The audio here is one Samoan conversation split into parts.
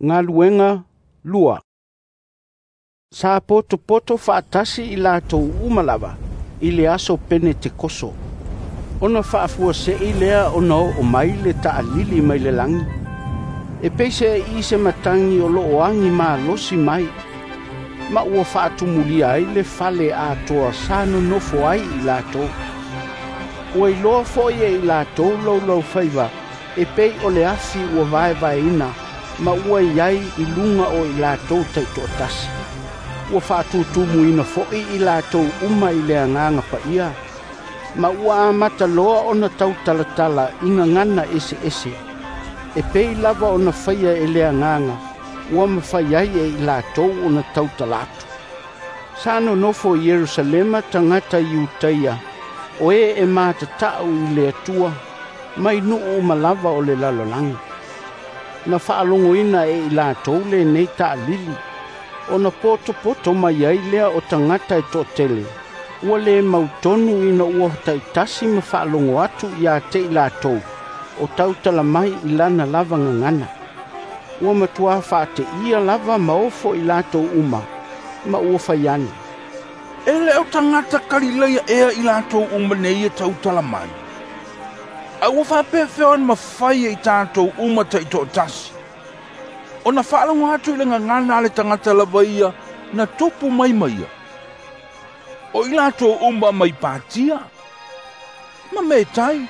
Galuega 2. Sa potopoto faatasi i latou uma lava i le aso Penetekoso. Ona faafuasei lea ona oo mai le taalili mai le lagi. E peiseai se matagi o loo agi malosi mai, ma ua faatumulia ai le fale atoa sa nonofo ai i latou. Ua iloa foi e i latou laulaufaiva e pei o le afi ua vaevaeina ma ua iai i luga o i latou taitoatasi. Ua faatutumuina foi i latou uma i le Agaga Paia, ma ua amata loa ona tautalatala i gagana eseese, e pei lava ona faia e le Agaga ua mafai ai e i latou ona tautala atu. Sa nonofo i Ierusalema tagata Iutaia o e e matatau i le Atua mai nuu uma lava o le lalolagi. Na faalogoina e i latou lenei taalili, ona potopoto mai ai lea o tagata e toatele, ua le mautonu ina ua taitasi ma faalogo atu ia te i latou o tautala mai i lana lava gagana. Ua matua faateia lava ma ofo i latou uma, ma ua fai ane, E le o tagata Kalilaia ea i latou uma nei e tautala mai. A ua faapefea ona mafai e i tatou uma taitoatasi ona faalogo atu i le gagana a le tagata lava ia na tupu mai ma ia. O i latou uma mai Patia, ma Metai,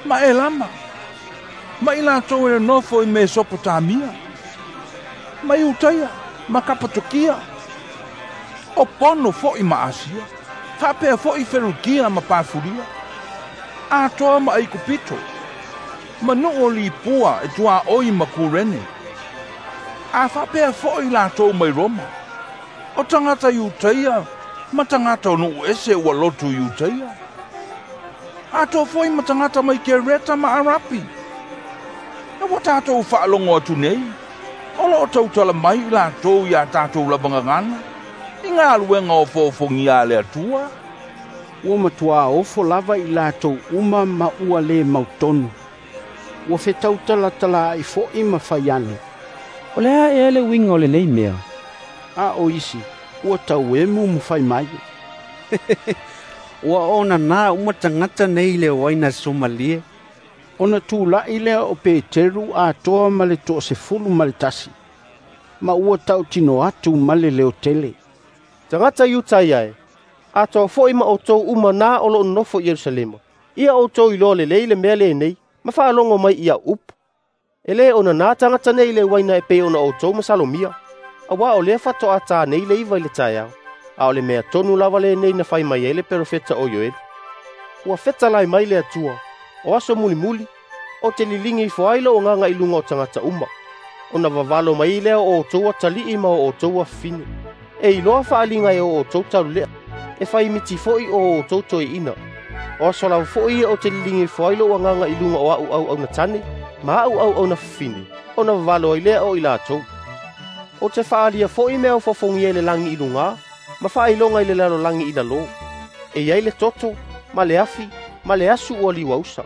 ma Elama, ma i latou e nonofo i Mesopotamia, ma Iutaia, ma Kapatokia, o Pono foi ma Asia, faapea foi Ferukia ma Pafulia, atoa ma Aikupito, ma nuu o Lipua e tuaoi ma Kurene, a faapea foi latou mai Roma, o tagata Iutaia ma tagata o nuu ese ua lotu Iutaia, atoa foi ma tagata mai Kereta ma Arapi. E ua tatou faalogo atu nei, o loo tautala mai i latou ia tatou lava gagana, i galuega ofoofogia a le Atua. Ua matua ofo lava i latou uma ma ua le mautonu. Ua fetautalatalaai foi ma fai ane, O le a ea le uiga o lenei mea? A o isi, ua tauemu ma fai mai, Ua onanā uma tagata nei i le uaina suamalie. Ona tula'i lea o Peteru atoa ma le 11, ma ua tautino atu ma le leotele, Tagata Iutaia e, atoa foi ma outou uma na o loo nonofo i Ierusalema, ia outou iloa lelei le mea lenei, ma faalogo mai i au upu. E lē onanā tagata nei i le uaina e pei ona outou masalomia, auā o lea faatoa ta nei le 9 i le taeao. A o le mea tonu lava lenei na fai mai ai le perofeta o Ioeli. Ua fetalai mai le Atua, o aso mulimuli, o te liligi ifo ai lou agaga i luga o tagata uma, ona vavalo mai lea o outou atalii ma o outou afafine. E iloa faaliga e o outou taulelea, e faimiti foi o outou toeaina. O aso lava foi ia o te liligi ifo ai lou agaga i luga o a'u auauna tane ma a'u auauna fafine, ona vavalo ai lea o i latou. O te faaalia foi mea ofofogia i le lagi i lugā, ma faailoga i le lalolagi i lalō. E iai le toto, ma le afi, ma le asu ua liuausa.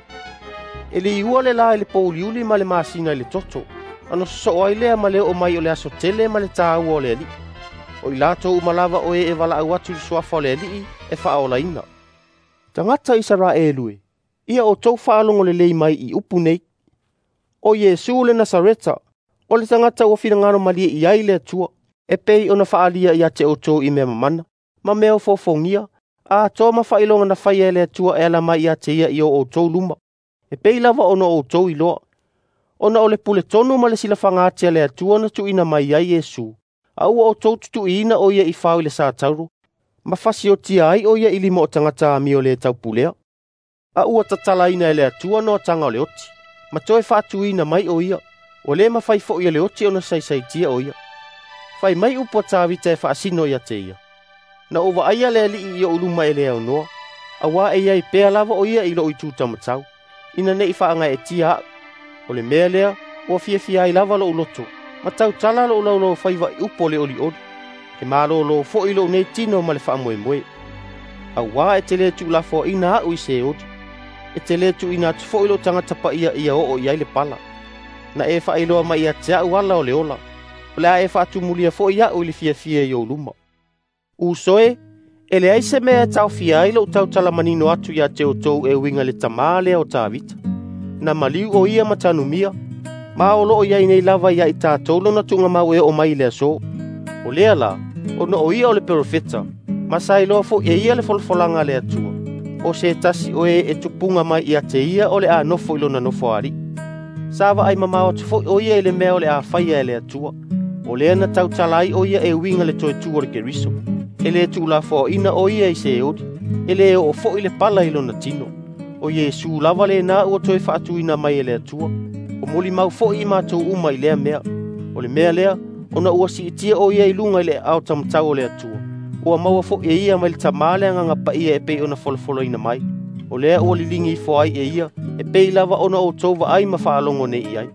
E liua le la i le pouliuli ma le masina i le toto, ona sosoo ai lea ma le oo mai o le aso tele ma le tāua o le Alii. O i latou uma lava o e e valaau atu i le suafa o le Alii e faaolaina. Tagata Isaraelu e, ia outou faalogo lelei mai i upu nei. O Iesu le Nasareta, o le tagata ua finagalo malie i ai le Atua, e pei ona faaalia ia te outou i mea mamana, ma mea ofoofogia, atoa ma faailoga na faia e le Atua e ala mai ia te ia i o outou luma, e pei lava ona outou iloa. Ona o le pule tonu ma le silafaga ati a le Atua na tuuina mai ai Iesu, a ua outou tutuiina o ia i fao i le satauro, ma fasiotia ai o ia i lima o tagata amio le taupulea. A ua tatalaina e le Atua noataga o le oti, ma toe faatuina mai o ia, ua le mafai foi e le oti ona saisaitia o ia. Fai mai upu a Tavita e faasino ia te ia, Na ou vaaia le Alii i ou luma e le aunoa, auā e iai pea lava o ia i lou itu taumatau, ina nei faagaeetia a'u. O le mea lea, ua fiafia ai lava lou loto, ma tautala lou laulaufaiva i upu o le olioli. E malōlō foi lou nei tino ma le faamoemoe. Auā e te lē tuulafoaina a'u i Seoli, e te lē tuuina atu foi lou tagata paia ia oo i ai le pala. Na e faailoa mai ia te a'u ala o le ola. O le a e faatumulia foi a'u i le fiafia i ou luma. Uso e, e leai se mea e taofia ai lou tautala manino atu ia te outou e uiga i le tamā lea o Tavita. Na maliu o ia ma tanumia, ma o loo iai nei lava ia i tatou lona tuugamau e oo mai i le aso. O lea la, ona o ia o le perofeta, ma sa iloa foi e ia le folafolaga a le Atua, o se tasi o e e tupuga mai ia te ia o le a nofo i lona nofoalii. Sa vaai mamao atu foi o ia i le mea o le a faia e le Atua. O lea na tautala ai o ia e uiga le toe tu o le Keriso. E le tuulafoaina o ia i Seoli, e le oo foi le pala i lona tino. O Iesu lava lena ua toe faatuina mai e le Atua. O molimau foi i matou uma i lea mea. O le mea lea, ona ua siitia o ia i luga i le aao taumatau o le Atua. Ua maua foi e ia mai le Tamā le Agaga Paia e pei ona folafolaina mai. O lea ua liligi ifo ai e ia, e pei lava ona outou vaai ma faalogo nei i ai.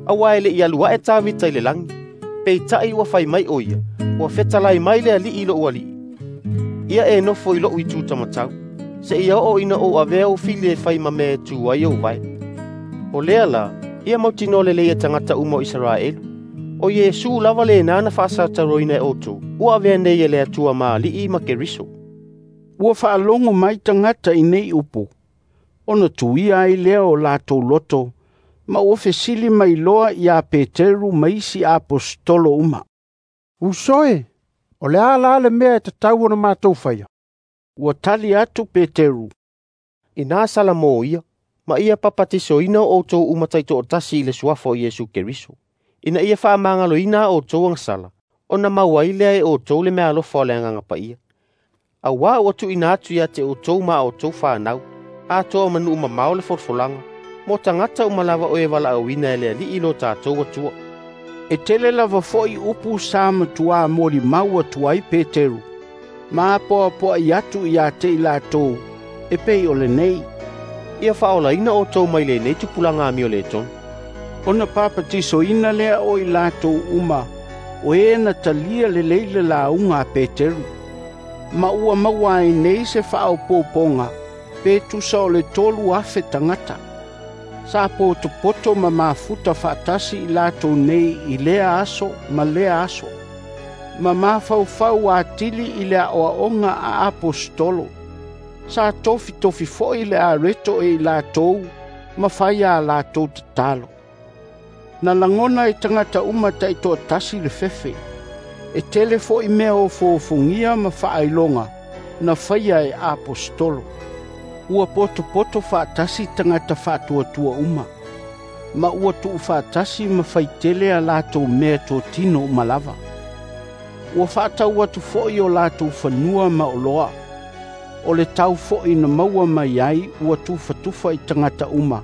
Auā e le i alu ae Tavita i le lagi, peitai ua fai mai o ia, ua fetalai mai le Alii i lou Alii. Ia e nofo i lou itu taumatau, seia oo ina ou avea ou fili e fai ma mea e tu ai ou vae. O lea la, ia mautinoa lelei e tagata uma o Isaraelu. O Iesu lava lena na faasataroina e outou, ua avea nei e le Atua ma Alii ma Keriso. Ua faalogo mai tagata i nei upu, ona tuia ai lea o latou loto, ma ua fesili mai loa ia Peteru ma isi aposetolo uma. Uso e, o le a la le mea e tatau ona matou faia? Ua tali atu Peteru, Ina sala mo ia, ma ia papatisoina o outou uma taitoatasi i le suafa o Iesu Keriso. Ina ia faamagaloina a outou agasala, ona maua ai lea e outou le meaalofa o le Agaga Paia. Auā ua tuuina atu ia te outou ma a outou fanau, atoa ma nuu mamao le folafolaga, mo tagata uma lava o e valaauina e le Alii lo tatou Atua. E tele lava foi upu sa matuā molimau atu ai Peteru, ma apoapoai atu ia te i latou, e pei o lenei. Ia faaolaina outou mai lenei tupulaga amio le tonu. Ona papatisoina lea o i latou uma, o e na talia lelei le lauga a Peteru. Ma ua maua ai nei se faaopoopoga, pe tusa o le 3,000 tagata. Sa potopoto ma mafuta faatasi i latou nei i lea aso ma lea aso. Ma mafaufau atili i le aoaoga a aposetolo. Sa tofitofi foi le areto e i latou, ma fai a latou tatalo. Na lagona e tagata uma taitoatasi le fefe. E tele foi mea ofoofogia ma faailoga na faia e aposetolo. Ua potopoto faatasi tagata faatuatua uma, ma ua tuufaatasi ma faitele a latou mea totino uma lava. Ua faatau atu foi o latou fanua ma oloa. O le tau foi na maua mai ai ua tufatufa i tagata uma,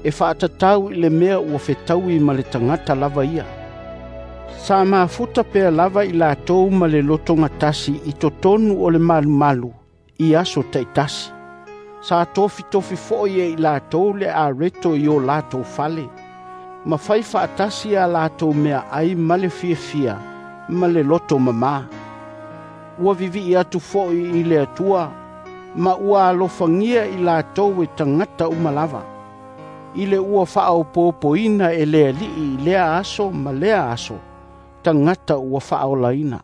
e faatatau i le mea ua fetaui ma le tagata lava ia. Sa mafuta pea lava i latou ma le lotogatasi i totonu o le malumalu i aso taitasi. Sa tofitofi foi e i latou le areto i o latou fale, ma fai faatasi a latou mea ai ma le fiafia ma le loto mamā. Ua vivii atu foi i le Atua, ma ua alofagia i latou e tagata uma lava, i le ua faaopoopoina e le Alii i lea aso ma lea aso, tagata ua faaolaina.